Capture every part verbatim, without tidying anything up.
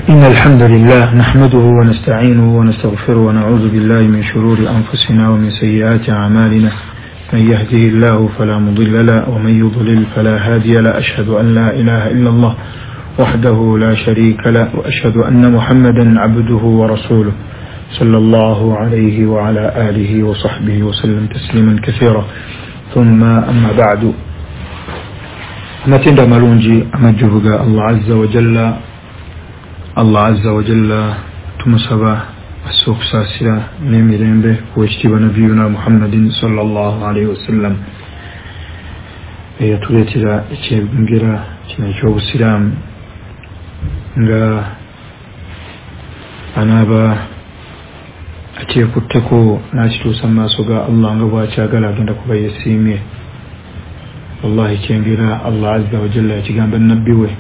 إن الحمد لله نحمده ونستعينه ونستغفره ونعوذ بالله من شرور أنفسنا ومن سيئات أعمالنا، من يهده الله فلا مضل له ومن يضلل فلا هادي له، أشهد أن لا إله إلا الله وحده لا شريك له، وأشهد أن محمدا عبده ورسوله صلى الله عليه وعلى آله وصحبه وسلم تسليما كثيرا. ثم أما بعد، amatendo amalungi amajjuvu ga Allah azza wa jalla. Allah azza wa jalla tumusaba asse okusaasira n'emirembe ku ekitiibwa nabiyuna Muhammadin sallallahu alaihi wasallam, eyatuleetera ekyengera kino eky'obusiraamu, nga anaaba akyekutteko n'akituusa mu maaso ga Allah nga bw'akyagala, agenda kuba yeesiimye. Wallahi kyengera Allah azza wa jalla yakigamba nabbi we,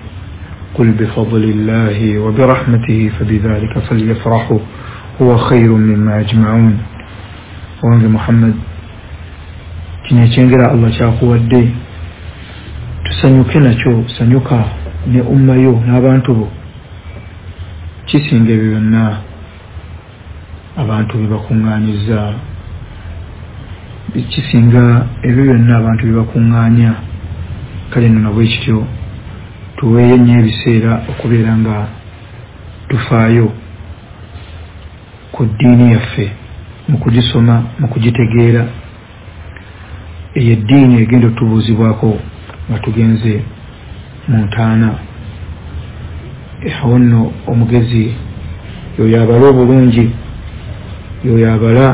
qul bifadlillahi wa birahmatihi fabidhalika falyafrahu huwa khairun mimma yajma'un. Owange Muhammad, kino ekyengera Allah kyakuwadde tusanyuke nakyo, sanyuka ne umma yo n'abantu bo, kisinga ebyo byonna abantu bye bakuŋŋaanyiza, kisinga ebyo byonna abantu bye bakuŋŋaanya. Kale nno nabwe kityo tuweeyo nnyo ebiseera okubeera nga tufaayo ku ddiini yaffe mu kugisoma, mu kugitegeera. Eyo eddiini egenda otubuuzibwako nga tugenze mu ntaana. Awo nno omugezi yoyo abala obulungi, yoyo abala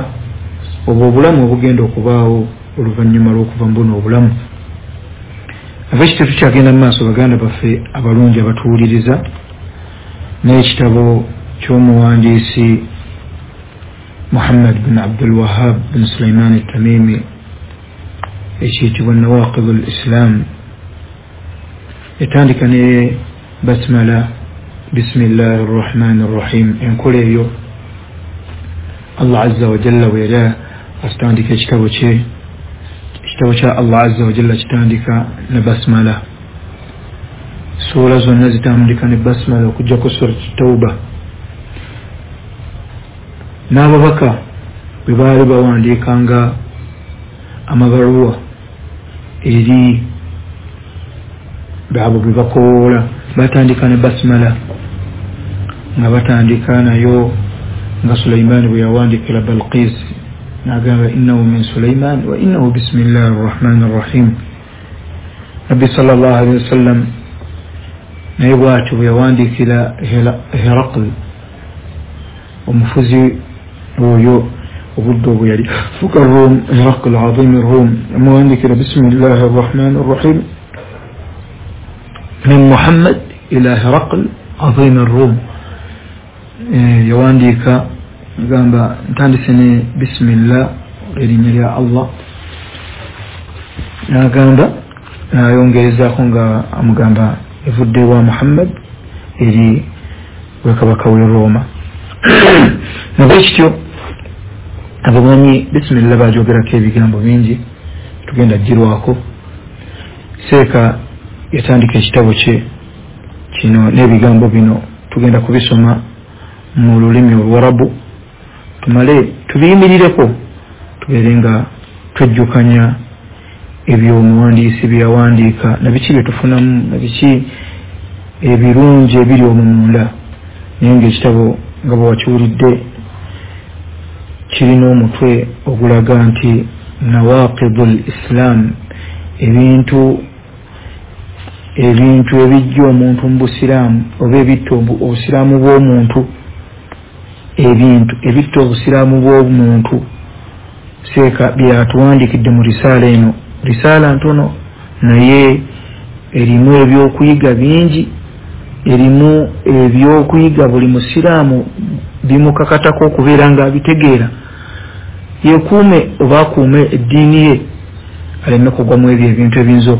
obwo obulamu obugenda okubaawo oluvannyuma lw'okuva mu buno obulamu. Ava ekityo tukyagenda mu maaso, baganda baffe abalungi abatuwuliriza, n'ekitabo ky'omuwandiisi Muhammad bin Abdul Wahab bin Sulaiman Tamimi ekiyitibwa Nawaqid al-Islam. Etandika ne basmala, bismillahi rrahmani rrahim. Enkola eyo Allah azza wa jalla bwe yali atandika ekitabo kye, ekitabo kya Allah azza wa jalla kitandika ne basmala. Suura zonna zitandika ne basmala okuggyako Surat Tauba. N'ababaka bwe baali bawandiikanga amabaluwa eri abo bwe bakowoola, batandika ne basmala, nga batandika nayo nga Sulaiman bwe yawandiikira Balqis n'agamba innahu min Sulaiman wa innahu bismillahi rrahmani rrahim. Nabbi sallallahu alaihi wasallam naye bw'atyo bwe yawandiikira Heraql, omufuzi oyo obudde obwo yali fuka Rum, Heraql azim Rum, amuwandiikira bismillahi rrahmani rrahim min Muhammad ila Heraql azim Rum. Yawandiika gamba ntandise ne bismillah, erinnya lya Allah, n'agamba n'ayongerezaako nga amugamba evudde wa Muhammad eri wekabaka w'e Roma. Nabwe kityo abamanyi bismillah bajogerako ebigambo bingi, tugenda girwako. Seeka yatandika ekitabo kye kino n'ebigambo bino tugenda kubisoma mu lulimi Oluwarabu, tumale tubiyimirireko, tubeere nga twejjukanya ebyomuwandiisi bye yawandiika na biki bye tufunamu na biki ebirungi ebiri omwo munda. Naye ng'ekitabo nga bwe wakiwulidde kirina omutwe ogulaga nti Nawaqidul Islam, ebintu ebintu ebijja omuntu mu busiraamu oba ebitta obusiraamu bw'omuntu, ebintu ebitta obusiraamu bw'omuntu. Seeka byatuwandiikidde mu risaala eno, risaala ntono naye erimu ebyokuyiga bingi, erimu ebyokuyiga buli musiraamu bimukakatako okubeera nga abitegeera, yekuume oba akuume eddiini ye aleme kugwa mu ebyo ebintu ebiyinza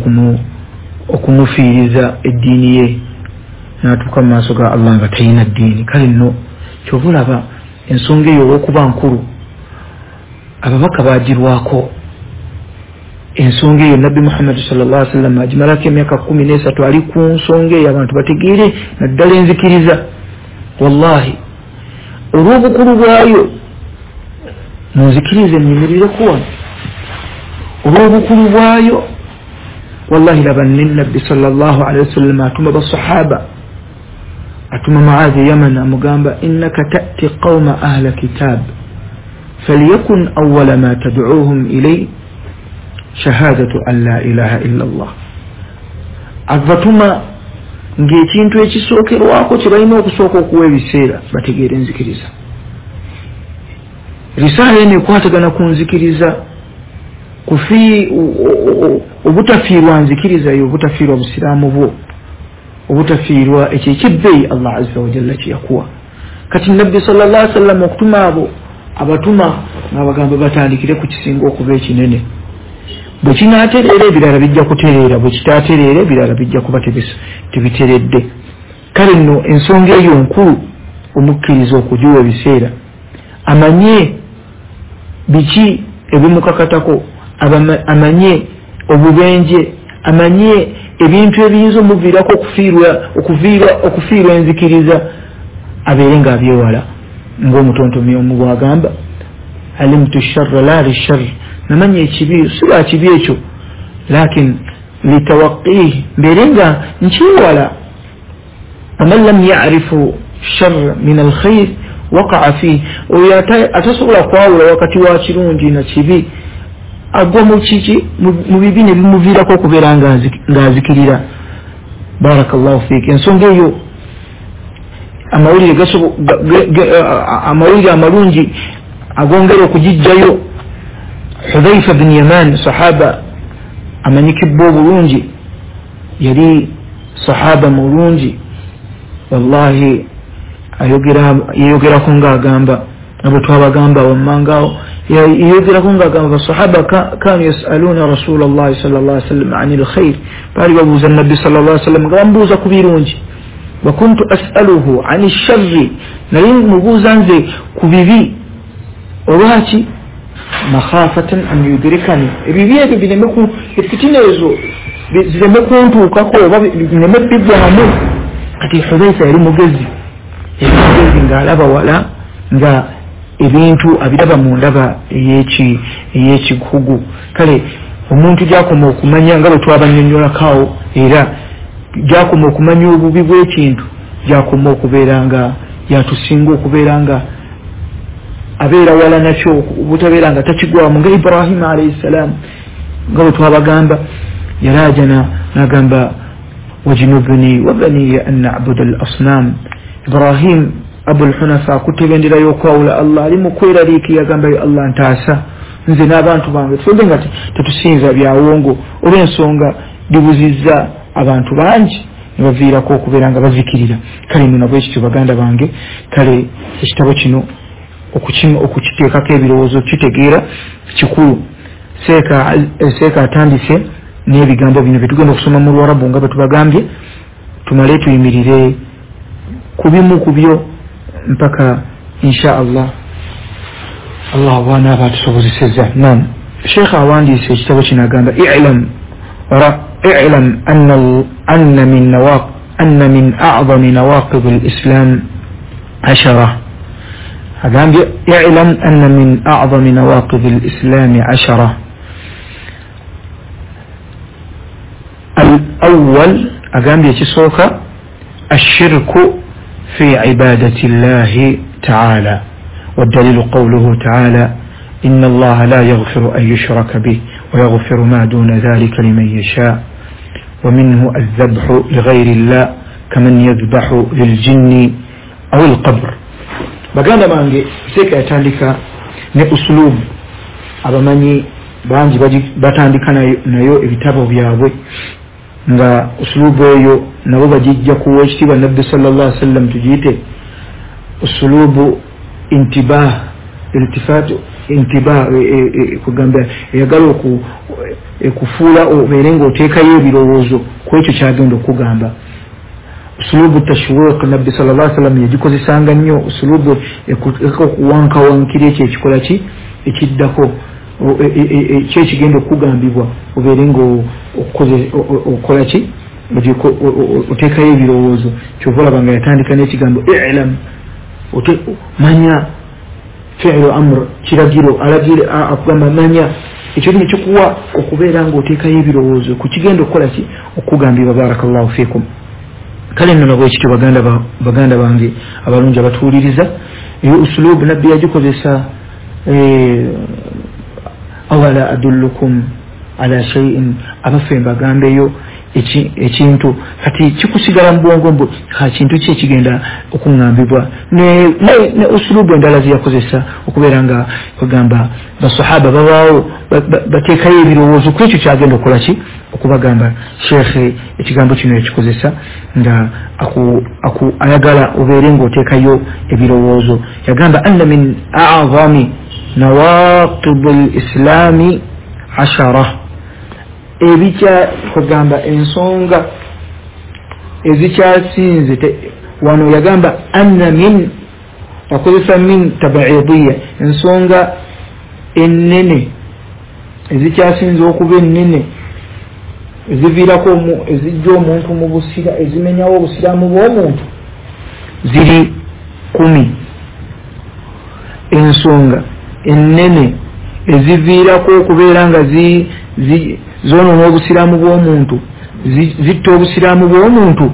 okumufiiriza eddiini ye n'atuuka mu maaso ga Allah nga talina ddiini. Kale nno kyova olaba ensonga eyo olw'okuba nkulu ababaka baagirwako. Ensonga eyo Nabbi Muhammad sallallahu alaihi wasallam agimalako emyaka kkumi n'esatu ali ku nsonga eyo abantu bategeere naddala enzikiriza. Wallahi olw'obukulu bwayo munzikirize nnyimirire wano, olw'obukulu bwayo wallahi laba nabbi sallallahu alaihi wasallam atuma basahaba, atuma Muadhi Yaman amugamba innaka ta'ti qawma ahla kitab falyakun awwala ma tad'uuhum ilay shahadatu an la ilaha illa Allah. Abatuma ng'ekintu ekisookerwako kye balina okusooka okuwa ebiseera bategeere enzikiriza. Risaala eno ekwatagana ku nzikiriza, kufi obutafiirwa nzikiriza yo, obutafiirwa busiraamu bwo, obutafiirwa ekyo ekibbeeyi Allah azza wa jalla kye yakuwa. Kati nabbi sallallahu alaihi wasallam okutuma abo abatuma ng'abagamba batandikire ku kisinga okuba ekinene. Bwe kinaatereera ebirala bijja kutereera, bwe kitaatereera ebirala bijja kuba tebiteredde. Kale nno ensonga eyo nkulu omukkiriza okugiwa ebiseera amanye biki ebimukakatako, amanye obubenje, amanye ebintu ebiyinza omuviirako okufiirwa okufiirwa okufiirwa enzikiriza, abeere ng'abyewala. Ng'omutontomi omu bw'agamba alimtu sharra la lisharr, namanya ekibi si lwa kibi ekyo, lakin litawaqihi, mbeere nga nkiwala. Waman lam yarifu sharra min alkhair waqaa fihi, oyo atasobola kwawula wakati wa kirungi na kibi agwa mu kiki mu bibi ne bimuviirako okubeera ng'azikirira. Barakallahu fiik. Ensonga eyo amawulire amawulire amalungi agongera okugijjayo. Hudhaifa bin Yaman sahaba amanyikibwa obulungi, yali sahaba mulungi wallahi. Ayogera yeyogerako ng'agamba abo twabagamba wammangaawo, yeyogerako ng'agamba basahaba kanu yasaluna rasulallahi sallallahu alaihi wasallam anil khair, baali babuuza nabbi sallallahu alaihi wasallam nga bamubuuza ku birungi. Wa kuntu as'aluhu ani sharri, naye mubuuza nze ku bibi. Olwaki? Makhafatan an yudrikani, ebibi ebyo bireme ku efitina ezo zireme kuntuukako oba bireme bigwamu. Kati Hudhaifa yali mugezi, yali mugezi ng'alaba wala, nga ebintu abiraba mu ndaba ey'eki ey'ekikugu. Kale omuntu gy'akoma okumanya nga bwe twabannyonnyolako, era gy'akoma okumanya obubi bw'ekintu, gy'akoma okubeera nga yatusinga okubeera nga abeera wala nakyo, obutabeera nga takigwamu. Nga Ibrahima alayhi salam nga bwe twabagamba yalajana n'agamba wajnubni wa baniya an na'buda al-asnam. Ibrahim Abul Hunafa akutte ebendera y'okwawula Allah, ali mu kweraliiki, yagamba yo Allah ntaasa nze n'abantu bange twembe nga tetusinza byawongo, olw'ensonga bibuzizza abantu bangi ne baviirako okubeera nga bazikirira. Kale nno nabwe kityo baganda bange, kale ekitabo kino okukiteekako ebirowoozo kitegeera kikulu. Seeka seeka atandise n'ebigambo bino bye tugenda okusoma mu Luwarabu nga bwe tubagambye, tumale tuyimirire ku bimu ku byo mpaka insha Allah Allah bw'anaaba atusobozesezza. Naam, Sheikh awandiise ekitabo kino agamba i'lam i'lam anna anna min nawaq anna min a'zami nawaqid al-islam ashara. Agambye i'lam anna min a'zami nawaqid al-islam ashara. Al-awwal, agambye ekisooka ashirku في عبادة الله تعالى، والدليل قوله تعالى إن الله لا يغفر أن يشرك به ويغفر ما دون ذلك لمن يشاء. ومنه الذبح لغير الله كمن يذبح للجن أو القبر. Baganda bange, seeka yatandika ne usulubu abamanyi bangi batandika nayo ebitabo byabwe, nga usulubu eyo nabo bagijja kuwa ekitiibwa nabbi sallallahu alaihi wasallam, tugiyite usulubu intibah, iltifat intibah, kugamba eyagala okufuula obeere ng'oteekayo ebirowoozo ku ekyo kyagenda okugamba. Usulubu tashwiq nabbi sallallahu alaihi wasallam yagikozesanga nnyo, usulubu okuwankawankira ekyo ekikola ki ekiddako kyekigenda okugambibwa obeere ng'okola ki Oteekayo ebirowoozo. Kyova olaba nga yatandika n'ekigambo i'lam, manya, fi'lu amr, kiragiro, alagira, akugamba manya. Ekyo ne kikuwa okubeera ng'oteekayo ebirowoozo ku kigenda okukola ki, okugambibwa. Barakallahu fiikum. Kale nno nabwekityo baganda baganda bange abalungi abatuwuliriza, eyo usulubu nabbi yagikozesa, awala adullukum ala shay'in, abaffe mbagambeyo ekintu. Kati kikusigala mu bwongo mbu ka kintu ki ekigenda okuŋŋambibwa. Ne, ne, ne usulubu endala zeyakozesa okubeera nga bagamba basahaba babaawo bateekayo ebirowoozo ku ekyo kyagenda okukola ki, okubagamba. Sheekhe ekigambo kino yakikozesa nga aku, aku ayagala obeere ng'oteekayo ebirowoozo. Yagamba anna min a'zami nawaqid al-islami ashara, ebikya kugamba ensonga ezikyasinze. Wano yagamba anna min, akozesa min tabaidiyya, ensonga ennene ezikyasinze okuba ennene eziviirako ezijja omuntu mu busira, ezimenyawo obusiraamu bw'omuntu ziri kumi. Ensonga ennene eziviirako okubeera nga zi, zi zonoona obusiraamu bw'omuntu, zitta obusiraamu bw'omuntu,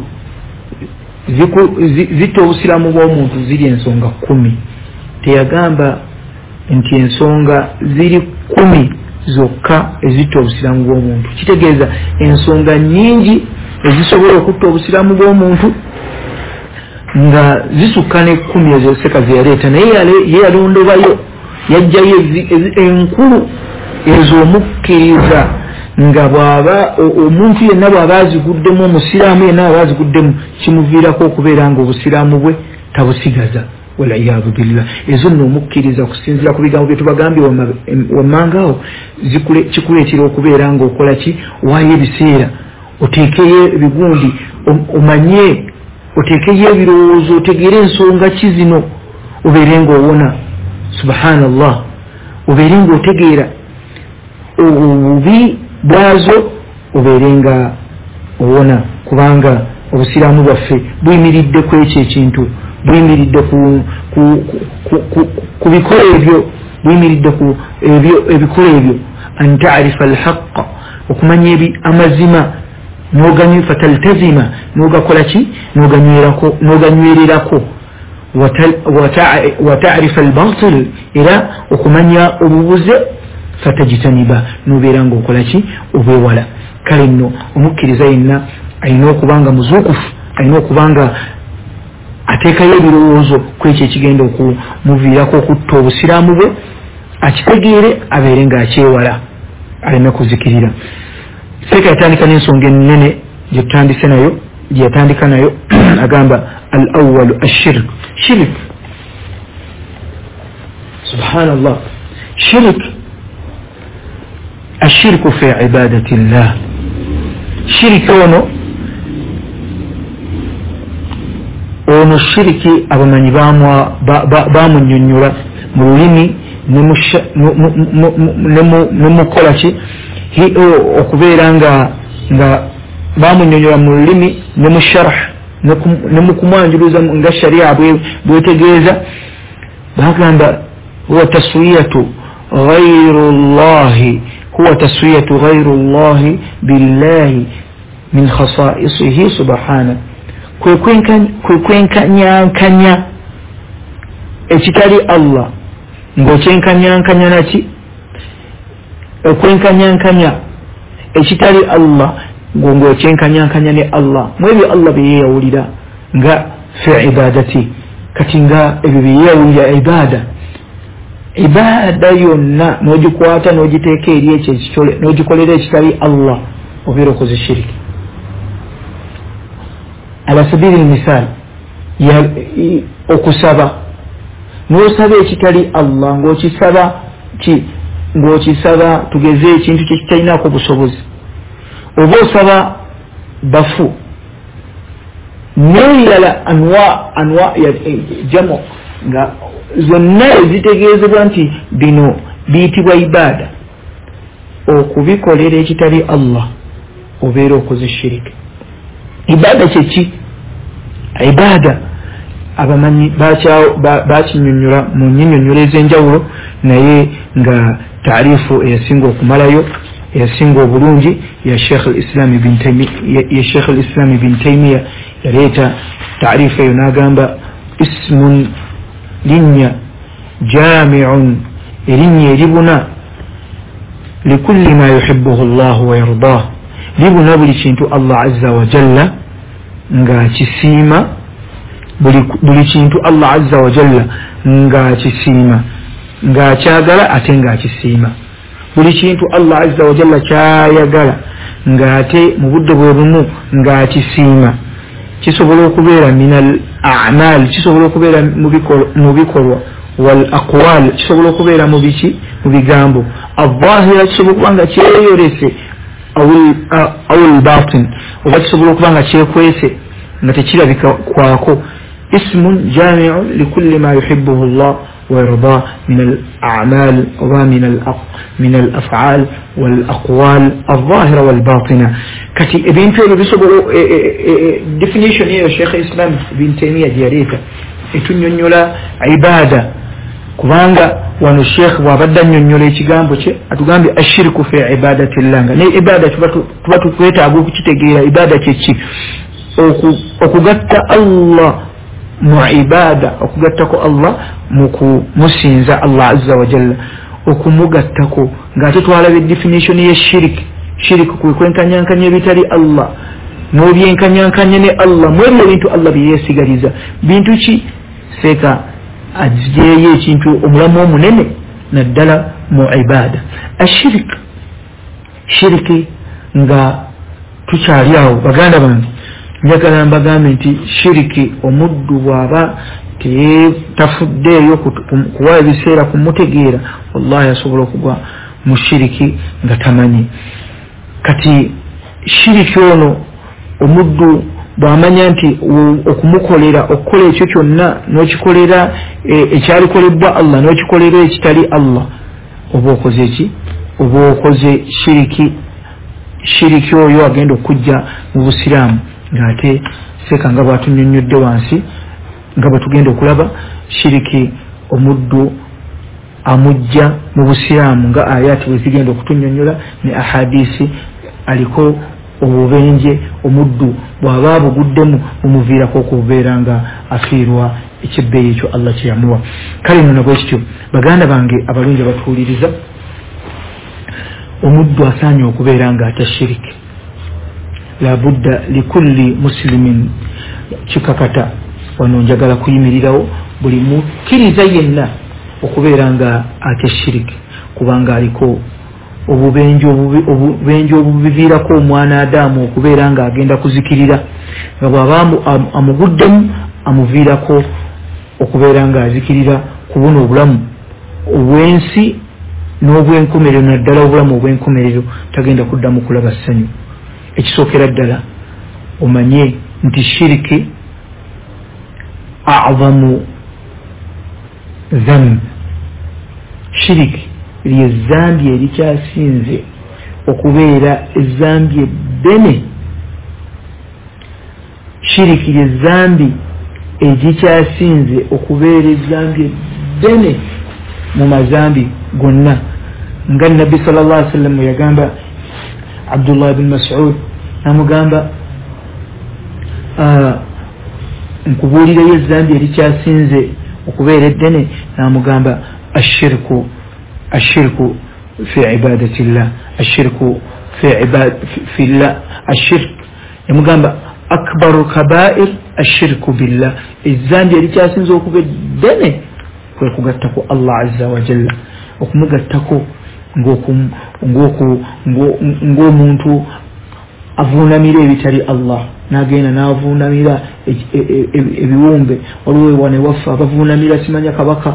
zitta obusiraamu bw'omuntu ziri ensonga kumi. Teyagamba nti ensonga ziri kumi zokka ezitta obusiraamu bw'omuntu. Kitegeeza ensonga nnyingi ezisobola okutta obusiraamu bw'omuntu nga zisukka ne kkumi ezo seka ze yaleeta, naye ye yalondobayo yajjayo enkulu ez'omukkiriza nga bw'aba omuntu yenna bw'aba aziguddemu, omusiraamu yenna aba aziguddemu, kimuviirako okubeera nga obusiraamu bwe tabusigaza. Waliyadu billah. Ezo nno omukkiriza okusinziira ku bigambo bye tubagambye wammanga awo, kikuleetera okubeera ng'okola ki, waayo ebiseera oteekeyo ebigundi, omanye, oteekeyo ebirowoozo, otegeere ensonga ki zino, obeere ng'owona. Subhanallah, obeere ng'otegeera obubi bwazo, obeere nga owona, kubanga obusiraamu bwaffe buyimiridde ku ekyo ekintu, buyimiridde ku, ku, ku, ku, ku bikola ebyo, buyimiridde ku ebyo ebikola ebyo. An ta'rifa alhaqqa, okumanya ebi amazima, n'oganywe fataltazima, n'ogakola ki, n'oganywerako, n'oganywererako. Wa ta'rifa albatil, era okumanya obubuze, fatajitaniba, n'obeera ng'okola ki, obwewala. Kale nno omukkiriza yenna alina okuba nga muzuukufu, alina okuba nga ateekayo ebirowoozo ku ekyo ekigenda okumuviirako okutta obusiraamu bwe, akitegeere, abeere ng'akyewala aleme kuzikirira. Seeka yatandika n'ensonga ennene gye tutandise nayo, gye yatandika nayo, agamba al awwalu ashirk. Shirk, subhanallah, shirk, ashirku fi ibadati llah. Shiriki ono ono shiriki abamanyi bamunnyonnyola mu lulimi ne mukola ki, okubeera nga nga bamunnyonnyola mu lulimi ne mu sharh ne mu kumwanjuluza nga sharia bwetegeeza. Bagamba huwa taswiyatu ghayru llahi, huwa taswiyatu ghayru llahi billahi min khasaisihi subhana, kwe kwenkanyankanya ekitali Allah ng'okyenkanyankanya naki, okwenkanyankanya ekitali Allah ng'okyenkanyankanya ne Allah mu ebyo Allah bye yeeyawulira nga fi ibadati. Kati nga ebyo bye yeeyawulira ibada, ibada yonna n'ogikwata n'ogiteeka eri ekyo ekitole n'ogikolera ekitali Allah, obeera okoze shiriki. Ala sabili lmisal, okusaba, n'osaba ekitali Allah ng'okisaba ki, ng'okisaba tugeze ekintu kye kitalinaako busobozi, oba osaba bafu n'ebirala anwa anwa ya jamu nga zonna ezitegeezebwa nti bino biyitibwa ibada, okubikolera ekitali Allah obeera okoze shiriki. Ibada kyeki? Ibada abamanyi bakinyonyola mu nyinyonyola ez'enjawulo, naye nga taarifu eyasinga okumalayo eyasinga obulungi ya Sheikh al-Islam ibn Taymiyyah, ya Sheikh al-Islam ibn Taymiyyah yaleeta taarifu eyo n'agamba ismun linnya jami'un, erinnya eribuna likulli ma yuhibbuhu Allah wa yardah, libuna buli kintu Allah azza wa jalla ng'akisiima, buli kintu Allah azza wa jalla ng'akisiima, ng'akyagala ate ng'akisiima, buli kintu Allah azza wa jalla kyayagala ng'ate mu budde bwe bumu ng'akisiima. Kisobola okubeera minal a'mal, kisobola okubeera mu bikolwa, wal aqwal, kisobola okubeera mu biki, mu bigambo, adh-dhahira, kisobola okuba nga kyeyolese, aw al-batin, oba kisobola okuba nga kyekwese nga tekirabika kwako. Ismun jami'un likulli ma yuhibbuhu Allah wa yarda min al-a'mal wa min al min al-af'al wal aqwal adh-dhahira wal batina. Kati ebintu ebyo bisobola, definition eyo Sheikh Islam ibn Taymiyyah gyeyaleeta etunnyonnyola ibada, kubanga wano Sheikh bw'abadde annyonnyola ekigambo kye atugambye ashirku fi ibadatillah, nga ne ibada tuba tukwetaaga okukitegeera ibada kye ki, okugatta Allah mu ibada, okugattako Allah mu kumusinza Allah azza wa jalla, okumugattako ng'ate twalaba definition ye shiriki. Shiriki kwe kwenkanyankanya ebitali Allah n'obyenkanyankanya ne Allah mwebyo ebintu Allah bye yeesigaliza. Bintu ki? Seeka aggyeyo ekintu omulamu omunene naddala mu ibada. Ashirik, shiriki nga tukyali awo baganda bange, njagala mbagambe nti shiriki omuddu bw'aba tafuddeeyo kuwa ebiseera kumutegeera, wallahi asobola okugwa mu shiriki nga tamanyi. Kati shiriki ono omuddu bw'amanya nti okumukolera okukola ekyo kyonna n'okikolera ekyalikolebwa Allah n'okikolera ekitali Allah, oba okoze ki? Oba okoze shiriki. Shiriki oyo agenda okujja mu busiraamu ng'ate seeka nga bw'atunnyonnyodde wansi nga bwe tugenda okulaba, shiriki omuddu amujja mu busiraamu nga ayati bwe zigenda okutunnyonnyola ne ahadisi, aliko obubenje omuddu bw'aba abuguddemu bumuviirako okubeera nga afiirwa ekyebbeeyi ekyo Allah kye yamuwa. Kale nno nabwe kityo baganda bange abalungi abatuwuliriza, omuddu asaanye okubeera nga atya shiriki. Labudda likulli muslimin, kikakata wano njagala kuyimirirawo buli mukkiriza yenna okubeera nga atya shiriki, kubanga aliko obubenje obubenje obubiviirako omwana Adamu okubeera nga agenda kuzikirira, nga bw'aba amuguddemu amuviirako okubeera nga azikirira ku buno obulamu obw'ensi n'obwenkomerero, naddala obulamu obw'enkomerero tagenda kuddamu kulaba ssanyu. Ekisookera ddala omanye nti shiriki a'zamu dhanb, shiriki ly'ezzambi erikyasinze okubeera ezzambi eddene. Shiriki ly'ezzambi erikyasinze okubeera ezzambi eddene mu mazambi gonna, nga Nabbi sallallahu alaihi wasallam yagamba Abdullah ibn Mas'ud, namugamba nkubuulireyo ezzambi erikyasinze okubeera eddene, namugamba ashirku ashirku fi ibadatillah, ashirku fi ibad fi llah, ashirk yamugamba akbaru kabair ashirku billah, ezzambi erikyasinze okuba eddene kwe kugattako Allah azza wa jalla, okumugattako ng'omuntu avuunamira ebitali Allah, n'agenda n'avuunamira ebiwumbe. Waliwo wano ewaffe abavuunamira simanya kabaka,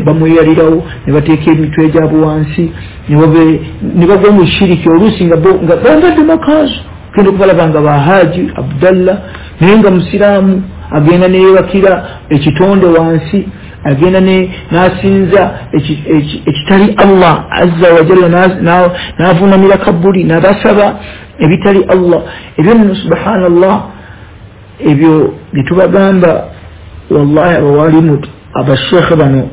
bamweyalirawo ne bateeka emitwe gyabwe wansi ne bagwa mu shiriki, oluusi nga bambadde makanzu, genda okubalaba nga bahaji Abdallah naye nga musiraamu, agenda neyeebakira ekitonde wansi, agenda n'asinza ekitali Allah azza wa jalla, n'avuunamira kabuli n'abasaba ebitali Allah. Ebyo nno subhanallah, Ebyo bitubagamba wallahi abawalimu abashekhe bano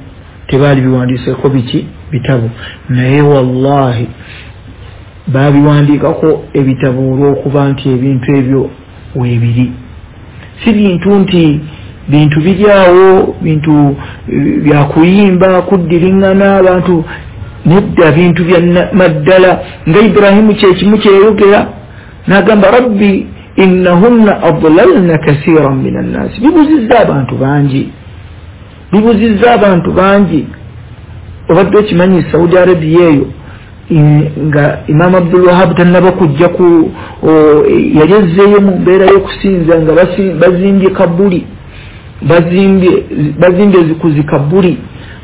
tebaali biwandiiseko biki bitabo, naye wallahi babiwandiikako ebitabo olw'okuba nti ebintu ebyo weebiri. Si bintu nti bintu biri awo, bintu byakuyimba kuddiriŋŋana abantu, nedda, bintu bya maddala. Nga Ibrahimu kyekimu kyeyogera n'agamba rabbi innahunna adlalna kasiran min annaasi, bibuzizza abantu bangi, bibuzizza abantu bangi. Obadde okimanyi Saudi Arabia eyo nga Imam Abdul Wahab tannaba kujja ku yali ezzeeyo mu mbeera y'okusinza nga bazimbye kabuli, bazimbye bazimbye ku zikabuli,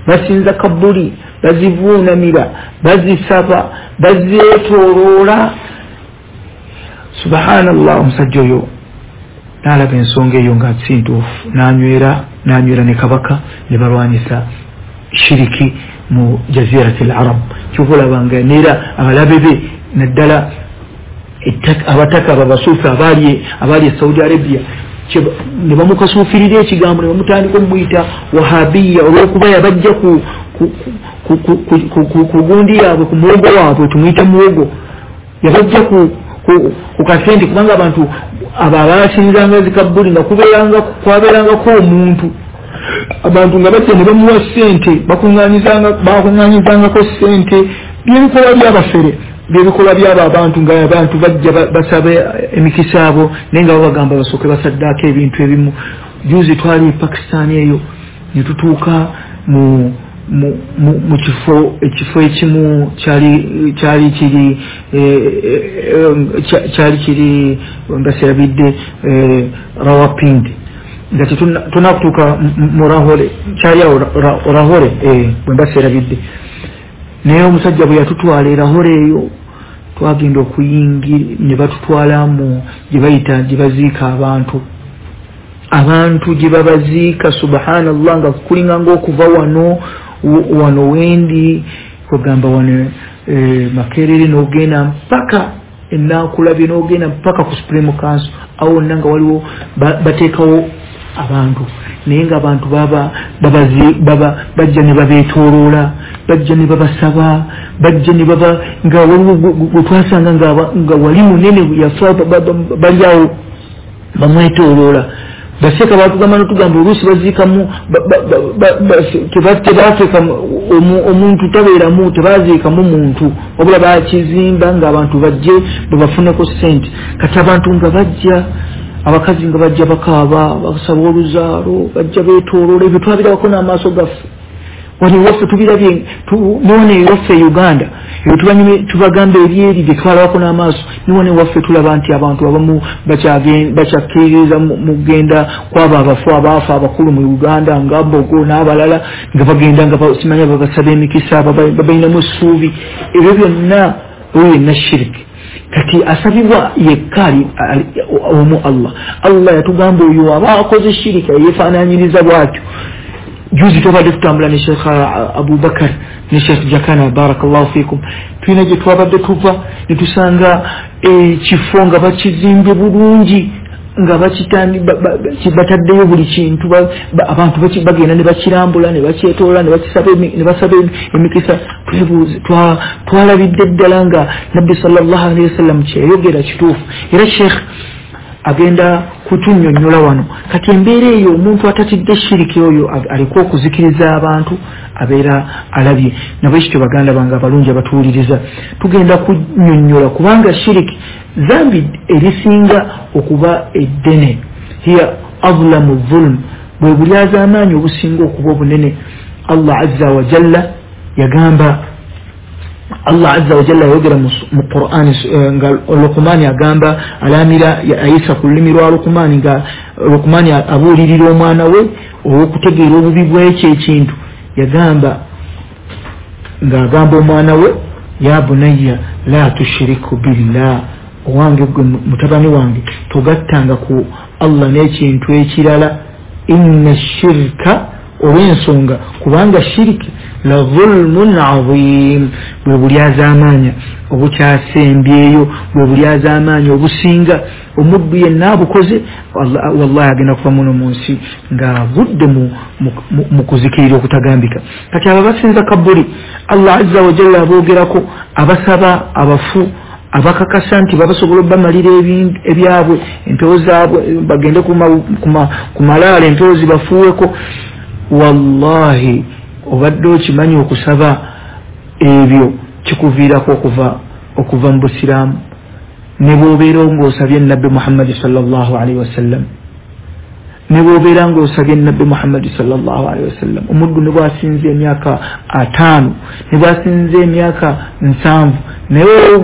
basinza kabuli, bazivuunamira, bazisaba, bazeetooloola. Subhanallah, omusajja oyo n'alaba ensonga eyo nga si ntuufu, n'anywera n'anywera ne kabaka ne balwanyisa shiriki mu jazirati al-arab. Kyova olaba nga neera abalabe be naddala abataka ababasuufi abaali abaali e Saudi Arabia ne bamukasuufirira ekigambo ne bamutandika omuyita wahabiya olw'okuba yabajja ku ku gundi yaabwe, ku muwogo waabwe, tumuyite muwogo, yabajja ku ku kasente, kubanga abantu abo abasinzanga zikabbuli nga kubeeranga kwabeerangako omuntu, abantu nga bajja ne bamuwa ssente, bakuŋŋaanyizanga bakuŋŋaanyizangako ssente. Byebikolwa by'abafere, byebikolwa by'abo abantu nga abantu bajja basaba emikisa abo, naye nga babagamba basooke basaddaako ebintu ebimu. Juzi twali e Pakistan eyo ne tutuuka mu mu mu kifo ekifo ekimu kyali kyali kiri kyali kiri mbaserabidde Rawalpindi, nga tetunakutuuka mu Lahore, kyali awo Lahore bwe mbaserabidde. Naye omusajja bwe yatutwala e Lahore eyo twagenda okuyingira ne batutwala mu gye bayita gye baziika abantu, abantu gye babaziika. Subhanallah, nga kulinga ng'okuva wano wano wendi kugamba wano e, Makerere n'ogenda mpaka Ennakulabye n'ogenda mpaka ku Supreme Council, awo wonna nga waliwo bateekawo abantu, naye nga abantu baba babazi baba bajja ne babeetooloola, bajja ne babasaba, bajja ne baba nga waliwo gwe twasanga nga nga wali munene yafa bali awo bamwetooloola. Baseka batugamba n'otugamba oluusi baziikamu tebateeka omuntu tabeeramu, tebaziikamu muntu, wabula bakizimba ng'abantu bajje babafuneko ssente. Kati abantu nga bajja, abakazi nga bajja bakaaba, basaba oluzaalo, bajja beetooloola. Ebyo twabirabako n'amaaso gaffe wano ewaffe, tubirabye newano ewaffe e Uganda ebyo tubagamba ebyeri bye twalabako n'amaaso. Newano ewaffe tulaba nti abantu abamu bakyakkiririza mu kugenda kwabo abafu abaafa abakulu mu Uganda nga Mbogo n'abalala, nga bagenda nga simanya babasaba emikisa, babalinamu essuubi. Ebyo byonna oyo yenna shiriki. Kati asabibwa yekka omu Allah. Allah yatugamba oyo aba akoze shiriki yeefaanaanyiriza bw'atyo. Juzi tubadde tutambula ne Sheikh Abubakar ne Sheikh Jakana barakallahu fikum, tulina gye twabadde tuva ne tusanga ekifo nga bakizimbye bulungi, nga bakitandi bataddeyo buli kintu, abantu bagenda ne bakirambula ne bakyetoola ne bakisaba ne basaba emikisa. Twalabidde ddala nga Nabbi sallallahu alaihi wasallam kyeyogera kituufu. Era Sheikh agenda kutunnyonnyola wano. Kati embeera eyo omuntu atatidde shiriki oyo aliko okuzikiriza abantu abeera alabye. Nabwekityo baganda bange abalungi abatuwuliriza, tugenda kunnyonnyola kubanga shiriki zambi erisinga okuba eddene, hiya azlamu dhulm, bwe bulyazaamaanyi obusinga okuba obunene. Allah azza wa jalla yagamba, Allah azza wa jalla yogera mu Qur'ani nga Luqmani agamba alamira ayisa ku lulimi lwa Luqmani, nga Luqmani abuulirira omwana we olw'okutegeera obubi bw'ekyo ekintu. Yagamba ng'agamba omwana we, ya bunayya la tushiriku billah, owange gwe mutabani wange togattanga ku Allah n'ekintu ekirala, inna shirka, olw'ensonga kubanga shiriki La dhulmun adhim, bwe bulyazaamaanya obukyasembyeyo, bwe bulyazaamaanya obusinga. Omuddu yenna abukoze wallahi agenda kuva muno mu nsi ng'avudde mu kuzikirira okutagambika. Kati abo abasinza kabuli Allah azza wa jalla aboogerako, abasaba abafu, abakakasa nti babasobola obbamalira ebyabwe, empewo zaabwe, bagende ku malaalo empewo zibafuuweko. Wallahi obadde okimanyi okusaba ebyo kikuviirako okuva okuva mu busiraamu, ne bw'obeera ng'osabye Nabbi Muhammadi sallallahu alaihi wasallam, ne bw'obeera ng'osabye Nabbi Muhammadi sallallahu alaihi wasallam. Omuddu ne bw'asinze emyaka ataano, ne bw'asinze emyaka nsanvu, naye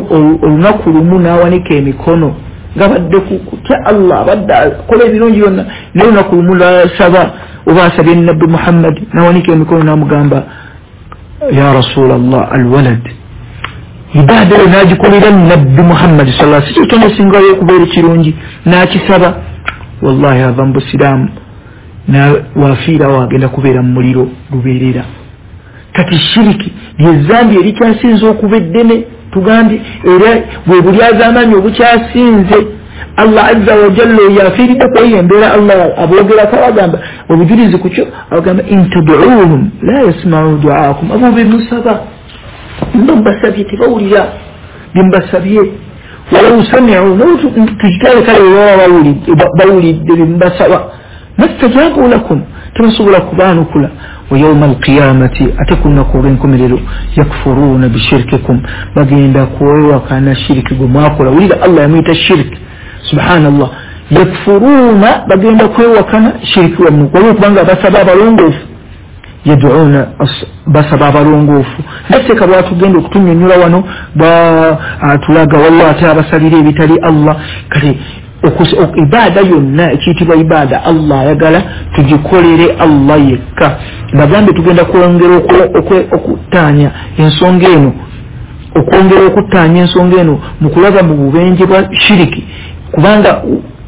olunaku lumu n'awanika emikono ng'abadde kutya Allah, abadde akola ebirungi byonna, naye olunaku lumu n'asaba oba asabye Nabbi Muhammadi n'awanika emikono n'amugamba ya Rasulallah alwalad, ibaada eyo n'agikolera Nabbi Muhammadi sallallahu alaihi wasallam, si kyonna esingayo okubeera ekirungi, n'akisaba, wallahi ava mu busiraamu, wafiirawo agenda kubeera mu muliro lubeerera. Kati shiriki lyezambi erikyasinze okuba eddene, tugambye era bwe bulyazaamaanyi obukyasinze. Allah azza wa jalla oyo afiiridde ku eyo embeera, Allah aboogerako abagamba obujulizi ku kyo, abagamba in tad'uuhum la yasma'u du'aakum, abo be musaba mba mbasabye tebawulira bye mbasabye, walau sami'u, tukitale kale baba bawulidde bye mbasaba, mastajabu lakum, tebasobola kubaanukula. Wa yawma alqiyamati, ate ku lunaku olw'enkomerero, yakfuruuna bishirkikum, bagenda kwewakana shiriki gwe mwakola. Wulira Allah yamuyita shiriki, subhanallah. Yakfuruuna, bagenda kwewakana shiriki wammwe, waliwo kubanga basaba abalongoofu, yaduuna basaba abalongoofu. Naseeka bwatugenda okutunnyonnyola wano batulaga wallah ate abasalira ebitali Allah. Kale ibaada yonna ekiyitibwa ibaada Allah ayagala tugikolere Allah yekka. Bagambe tugenda kwongera okuttaanya ensonga eno, okwongera okuttaanya ensonga eno mu kulaba mu bubenje bwa shiriki, kubanga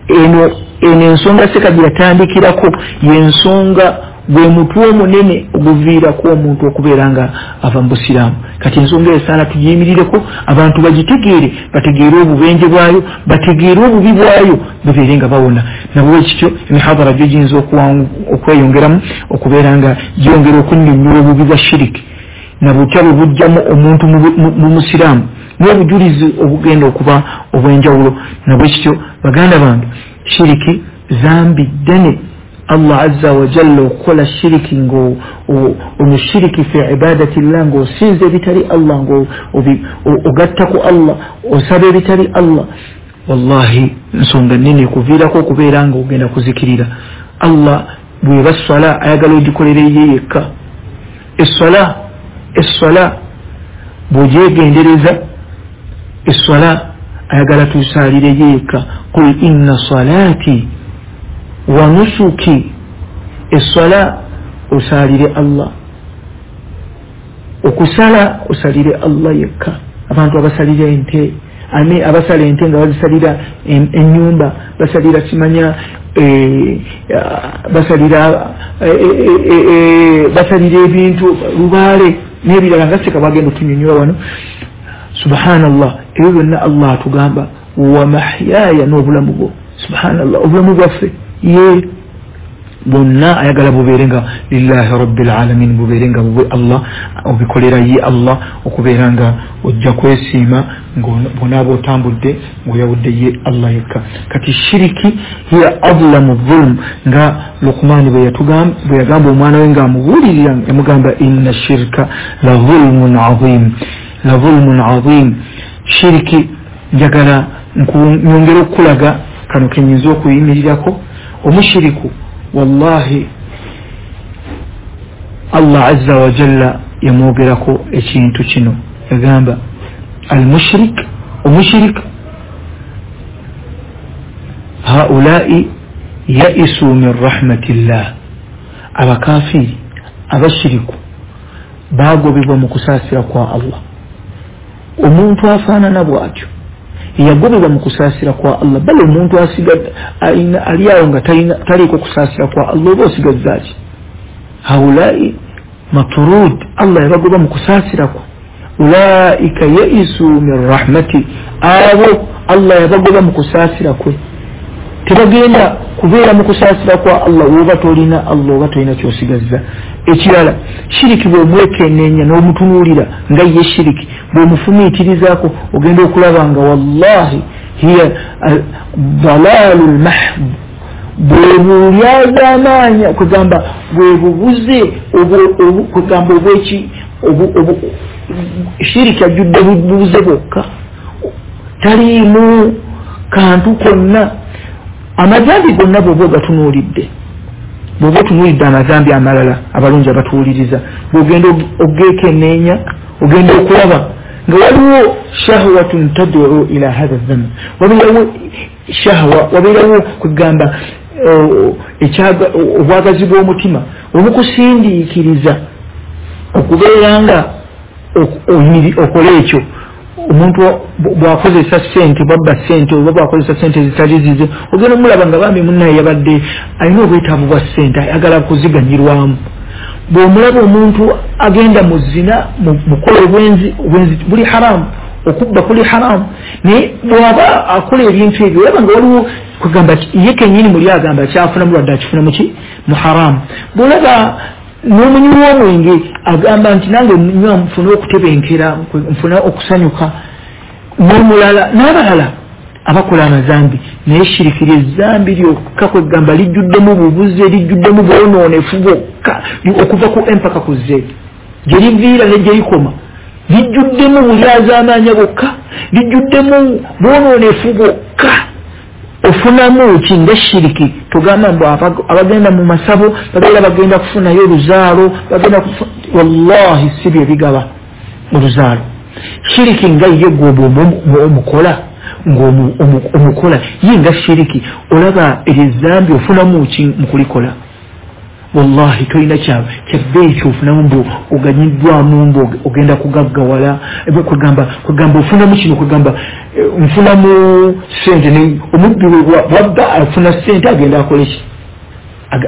eno eno ensonga seka gye yatandikirako y'ensonga gwe mutwe omunene oguviirako omuntu okubeera nga ava mu busiraamu. Kati ensonga esaana tugiyimirireko, abantu bagitegeere, bategeere obubenje bwayo, bategeere obubi bwayo, babeere nga bawona. Nabwe kityo emihadhara gyo giyinza okweyongeramu okubeera nga gyongera okunnyonnyola obubi bwa shiriki na butya bwe bujjamu omuntu mu musiraamu, n'obujulizi obugenda okuba obw'enjawulo. Nabwe kityo baganda bange, shiriki zambi ddene. Allah azza wa jalla okukola shiriki ng'omushiriki fi ibadati llah, ng'osinza ebitali Allah, ng'ogatta ku Allah, osaba ebitali Allah, wallahi nsonga nnene ekuviirako okubeera nga ogenda kuzikirira. Allah bw'eba swala ayagala ogikolere ye yekka. Esswala esswala bw'ogyegendereza, esswala ayagala tusaalire ye yekka. Qul inna salaati wa nusuki, esswala osaalire Allah, okusala osalire Allah yekka. Abantu abasalira ente, ame abasala ente nga bazisalira ennyumba, basalira kimanya e, basalira e, e, e, basalira ebintu lubaale n'ebirala nga seka bagenda otunyonyola wano. Subhanallah, ebyo byonna Allah atugamba wa mahyaaya, n'obulamu bwo. Subhanallah, obulamu bwaffe ye bonna ayagala bubeere nga lillahi rabbil alamin, bubeere nga bubwe Allah, obikolera ye Allah, okubeera nga ojja kwesiima bw'onaaba otambudde ng'oyawudde ye Allah yekka. Kati shiriki hiya adlamu dhulm, nga Luqmaani bwe yagamba omwana we ng'amubuulirira, yamugamba inna shirka la dhulmun adhim, la dhulmun adhim. Shiriki njagala nyongere okukulaga kano ke nnyinza okuyimirirako. Omushiriku wallahi Allah azza wa jalla yamwogerako ekintu kino, yagamba almushrik, omushrik haulai yaisu min rahmatillah, abakafiri abashiriku bagobebwa mu kusaasira kwa Allah. Omuntu afaanana bw'atyo yagobebwa mu kusaasira kwa Allah, bale omuntu asigadde ali awo nga taliiko kusaasira kwa Allah, oba osigazza ki? Haulai Maturud, Allah yabagoba mu kusaasira kwe. Ulaika yaisu min rahmati, abo Allah yabagoba mu kusaasira kwe, tebagenda kubeera mu kusaasira kwa Allah. Oba tolina Allah oba tolina kyosigazza. Ekirala, shiriki bw'omwekenneenya n'omutunuulira nga ye shiriki, bw'omufumiitirizaako ogenda okulaba nga wallahi hiya dalaalu lmahd, bwe bulyazaamaanya, kugamba bwe bubuze, kugamba obweki shiriki ajjudde bubuze bwokka, taliimu kantu konna. Amazambi gonna bw'oba ogatunuulidde, bw'oba otunuulidde amazambi amalala abalungi abatuwuliriza, bw'ogenda ogeekenneenya ogenda okulaba nga waliwo shahwatun tad'u ila hadha dhanb, wabeerawo shahwa, wabeerawo kugamba obwagazi bw'omutima obukusindiikiriza okubeera nga okola ekyo. Omuntu bw'akozesa ssente, bw'abba ssente oba bw'akozesa ssente ezitali zize, ogenda omulaba nga bambi munnaye yabadde alina obwetaavu bwa ssente, ayagala kuziganyirwamu. Bw'omulaba omuntu agenda mu zina, mukola obwenzi, obwenzi buli haramu, okubba kuli haramu, naye bw'aba akola ebintu ebyo olaba nga waliwo kugamba ye kennyini muli agamba kyafuna mulwadde akifuna muki mu haramu. Bw'olaba n'omunywi w'omwenge agamba nti nange nywa nfune okutebenkera, nfune okusanyuka, n'omulala n'abalala abakola amazambi. Naye shiriki ly'ezzambi lyokka kwegamba lijjuddemu bubuze, lijjuddemu bwonoonefu bwokka okuva ku M paka ku Z, gye liviira ne gye likoma, lijjuddemu bulyazaamaanya bwokka, lijjuddemu bwonoonefu bwokka. Ofunamu ki nga shiriki? Tugamba mbu abagenda mu masabo babeera bagenda kufunayo oluzaalo, bagenda kufu... wallahi si bye bigaba oluzaalo. Shiriki nga ye gwe omukola ng'omukola ye nga shiriki, olaba eryezambi ofunamu ki mu kulikola? Wallahi tolina kyabbeeyi kyofunamu mbu oganyiddwamu mbu ogenda kugaggawala, kwegamba kwegamba ofunamu kino, kwegamba nfunamu ssente. Omubbi bwabba afuna ssente agenda akole ki?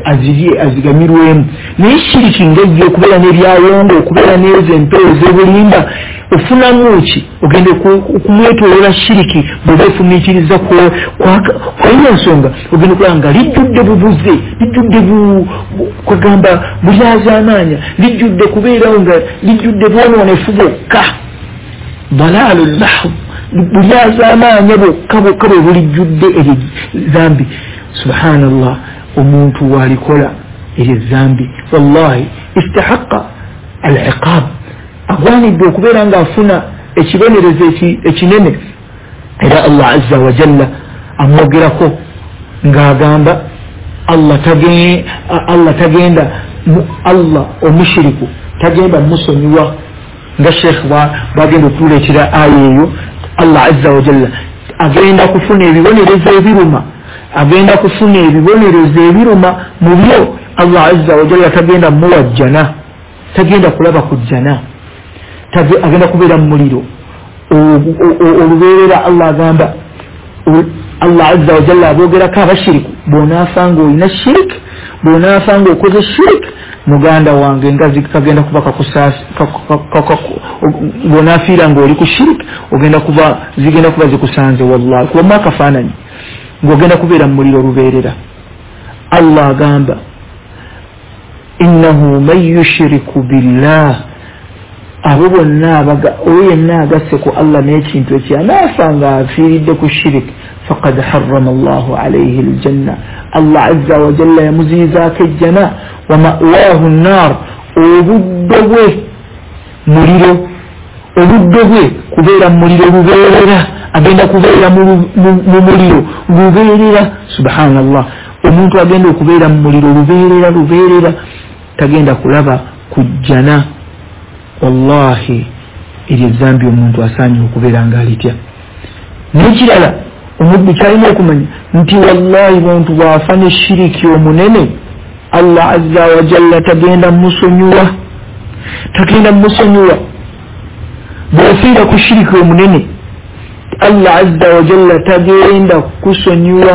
Azirye, aziganyirwemu. Naye shiriki nga ye okubeera n'ebyawongo, okubeera n'ezo empewo ez'obulimba, ofunamu ki? Ogenda okumwetooloola shiriki bw'oba ofumiitiriza kwayo ensonga, ogenda okulaba nga lijjudde bubuze, lijjudde kwegamba bulyazaamaanya, lijjudde kubeerawo nga lijjudde bwonoonefu bwokka, dalaalu lmahd, bulyazaamaanya bwokka bwokka bwe bulijjudde eryo zambi. Subhanallah, omuntu walikola eryo zambi wallahi istahaqa al-iqab, agwanidde okubeera ng'afuna ekibonerezo ekinene. Era Allah azza wa jalla amwogerako ng'agamba Allah Allah tagenda, Allah omushiriku tagenda musonyiwa, nga Sheikh bwagenda okutuleetera aya eyo. Allah azza wa jalla agenda kufuna ebibonerezo ebiruma, agenda kufuna ebibonerezo ebiruma mu byo. Allah azza wa jalla tagenda muwa jjana, tagenda kulaba ku jjana, agenda kubeera mu muliro olubeerera. Allah agamba, Allah azza wa jalla aboogerako abashiriku, bw'onaafa ng'olina shirik, bw'onaafa ng'okoze shirik, muganda wange nga kagenda kuba kakusaasi, bw'onaafiira ng'oli ku shirik ogenda kuba zigenda kuba zikusanze wallahi, kubamu akafaananyi ng'ogenda kubeera mu muliro olubeerera. Allah agamba innahu man yushriku billah, abo bonna oyo yenna agasse ku Allah n'ekintu ekyo anaafa nga afiiridde ku shirik, faqad harrama Allahu alayhi aljanna, Allah azza wa jalla yamuziyizaako ejjana, wa ma'waahu nnaar, obuddo bwe muliro, obuddo bwe kubeera mu muliro lubeerera, agenda kubeera mu muliro lubeerera. Subhanallah, omuntu agenda okubeera mu muliro lubeerera lubeerera, tagenda kulaba ku jjana. Wallahi eryo ezambi omuntu asaanye okubeera ng'alitya. N'ekirala omuddu kyalina okumanya nti wallahi muntu bw'afa ne shiriki omunene, Allah azza wa jalla tagenda musonyiwa, tagenda musonyiwa. Bw'ofiira ku shiriki omunene, Allah azza wa jalla tagenda kusonyiwa.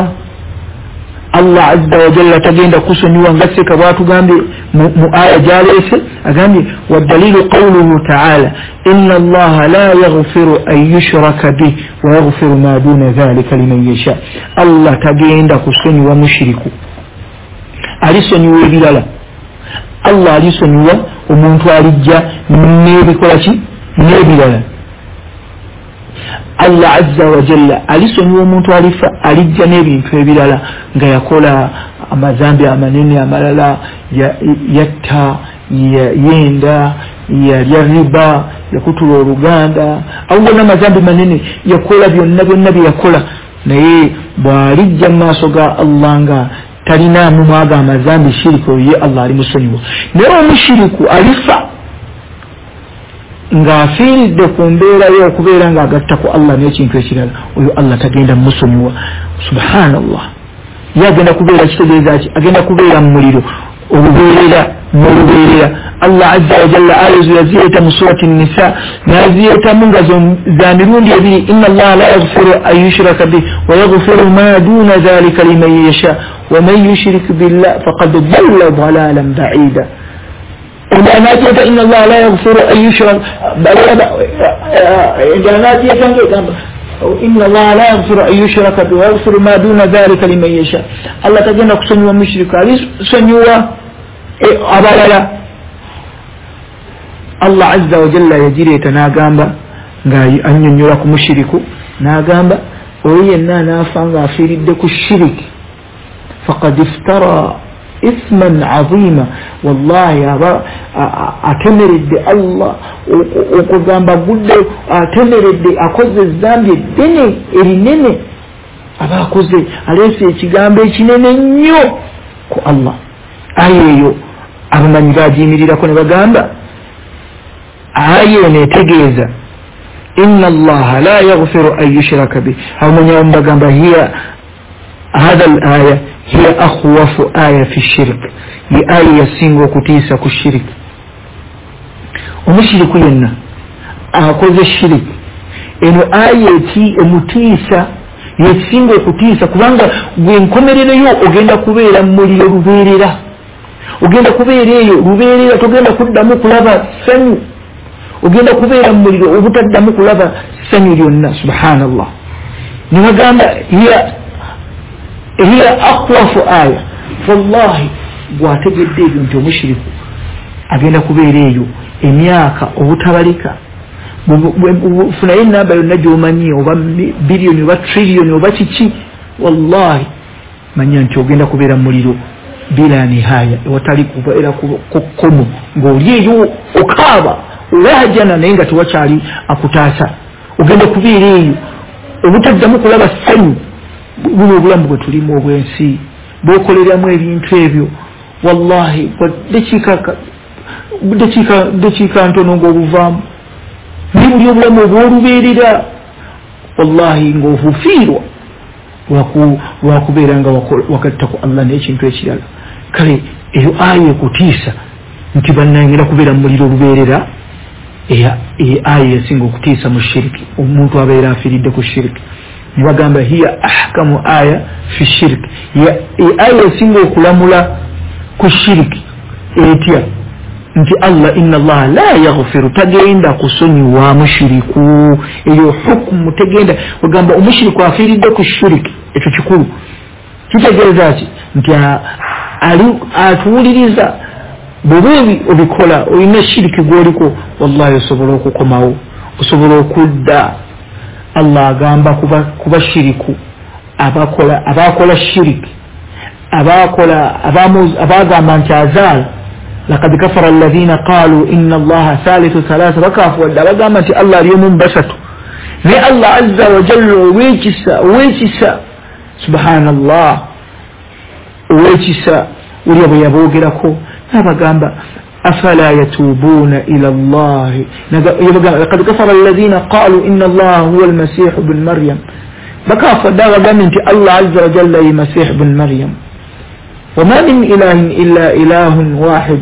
Allah azza wa jalla tagenda kusonyiwa nga seka bwatugambye mu aya gyaleese agambye wadalilu qawluhu ta'ala inna allaha la yaghfiru an yushraka bih wa yaghfiru ma duna dhalika liman yasha. Allah tagenda kusonyiwa mushiriku, alisonyiwa ebirala. Allah alisonyiwa omuntu alijja n'ebikola ki n'ebirala. Allah azza wa jalla alisonyiwa omuntu alifa alijja n'ebintu ebirala nga yakola amazambi amanene amalala, yatta, yenda, yalya riba, yakutula oluganda, awo n'amazambi manene yakola byonna byonna bye yakola, naye bw'alijja mu maaso ga Allah nga talinaamu mwaga amazambi shiriki, oyo ye Allah alimusonyiwa. Naye omushiriku alifa ng'afiiridde ku mbeera ye okubeera ng'agatta ku Allah n'ekintu ekirala, oyo Allah tagenda musonyiwa. Subhanallah. Ye agenda kubeera kitegeeza ki? Agenda kubeera mu muliro olubeerera n'olubeerera. Allah azza wa jalla aya ezo yazireeta mu surati Nisa, n'azireetamu nga za mirundi ebiri, inna allaha la yaghfiru an yushraka bih wa yaghfiru ma duna dhalika liman yasha wa man yushrik billah faqad dhalla dhalalan ba'ida. Anajeeta inna allaha la yaghfiru an yushraka, anajeeta ng'egamba inna allaha la yaghfiru an yushraka bihi wa yaghfiru ma duna dhalika liman yasha. Allah tagenda kusonyiwa mushriku, alisonyiwa abalala. Allah azza wa jalla yagireeta n'agamba nga annyonnyola ku mushiriku, n'agamba oyo yenna anaafa ng'afiiridde ku shiriki faqad iftara ithman azima, wallahi aba atemeredde Allah okugamba gudde, atemeredde akoze ezambi eddene erinene, aba akoze aleese ekigambo ekinene nnyo ku Allah. Aya eyo abamanyi bagiyimirirako ne bagamba aya eno etegeeza inna allaha la yaghfiru an yushraka bih. Abamanyi abamu bagamba hiya hadha al aya hiya akhwafu aya fi shirk, ye aya yasinga okutiisa ku shirk. Omushiriku yenna akoze shirk, eno aya eti emutiisa, yesinga okutiisa, kubanga gwe enkomerero yo ogenda kubeera mu muliro lubeerera, ogenda kubeera eyo lubeerera, togenda kuddamu kulaba ssanyu, ogenda kubeera mu muliro obutaddamu kulaba ssanyu lyonna. Subhanallah. Ne bagamba hiya hiya akhwafu aya, wallahi gwategedde ebyo nti omushiriku agenda kubeera eyo emyaka obutabalika, funayo enamba yonna gy'omanyi, oba biliyoni oba triliyoni oba kiki, wallahi manya nti ogenda kubeera mu muliro bila nihaya, ewatali kubeera kukkomo, ng'oli eyo okaaba olahajana naye nga tewakyali akutaasa, ogenda kubeera eyo obutaddamu kulaba ssanyu. Buno obulamu bwe tulimu obw'ensi bw'okoleramu ebintu ebyo, wallahi dakiika dakiika ntono ng'obuvaamu, naye buli obulamu obw'olubeerera wallahi ng'obufiirwa lwakubeera nga wagatta ku Allah n'ekintu ekirala. Kale eyo aya ekutiisa nti bannange kubeera mu muliro olubeerera, eyo aya yasinga okutiisa mu shiriki, omuntu abeera afiiridde ku shiriki. Ne bagamba hiya ahkamu aya fi shirki, aya esinga okulamula ku shiriki etya nti Allah inna allaha la yaghfiru, tagenda kusonyiwa mushiriku. Eyo hukumu tegenda ogamba omushiriku afiiridde ku shiriki, ekyo kikulu. Kitegeeza ki? Nti atuwuliriza bw'oba obikola olina shiriki gw'oliko, wallahi osobola okukomawo, osobola okudda. Allah agamba kuba shiriku abakola abakola shiriki, abakola abagamba nti azaala, laqad kafara alladhina qalu inna allaha thalithu thalatha, bakafuwadde abagamba nti Allah ali omu mu basatu. Naye Allah azza wa jalla ow'ekisa, ow'ekisa, subhanallah, ow'ekisa ulya bwe yaboogerako n'abagamba afala yatuubuna ila allahi, laqad kafara alladhina qalu inna allaha huwa almasihu bnu maryam, bakafuwadde abagambye nti Allah azza wa jalla ye masihu bnu maryam, wama min ilahin illa ilahun wahid,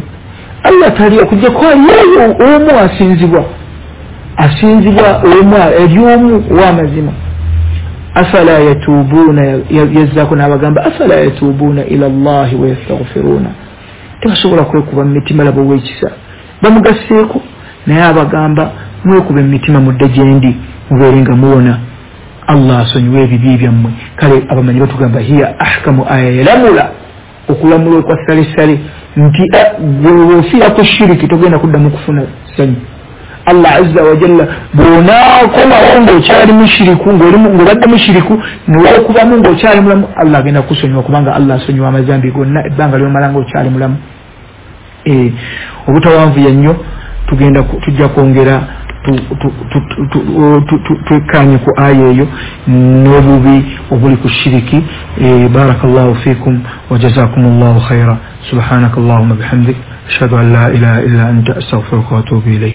Allah tali okujjako aliyeyo omu asinzibwa, asinzibwa omu eri omu ow'amazima. Afala yatuubuna, yazzaako n'abagamba afala yatuubuna ila Allahi wa yastaghfiruna, tebasobola kwekuba mu mitima labo ow'ekisa. Bamugasseeko naye abagamba mwekuba emitima mudde gyendi mubeere nga muwona, Allah asonyiwe ebibi byammwe. Kale abamanyi batugamba hiya ahkamu aya, yalamula okulamula okwa salesale nti gweofiira ku shiriki togenda kuddamu kufuna ssanyu. Allah azza wa jalla bw'onaakomawo ng'okyali mushiriku, ng'obadde mushiriku neweekubamu ng'okyali mulamu, Allah agenda kukusonyiwa, kubanga Allah asonyiwa amazambi gonna ebbanga ly'omala ng'okyali mulamu. Obutawanvuya nnyo tugenda tujja kwongera twekkaanye ku aya eyo n'obubi obuli ku shiriki. Barakallahu fikum wa jazakumullahu khaira. Subhanaka allahumma bihamdik ashhadu an la ilaha illa anta astaghfiruka wa atubu ilayk.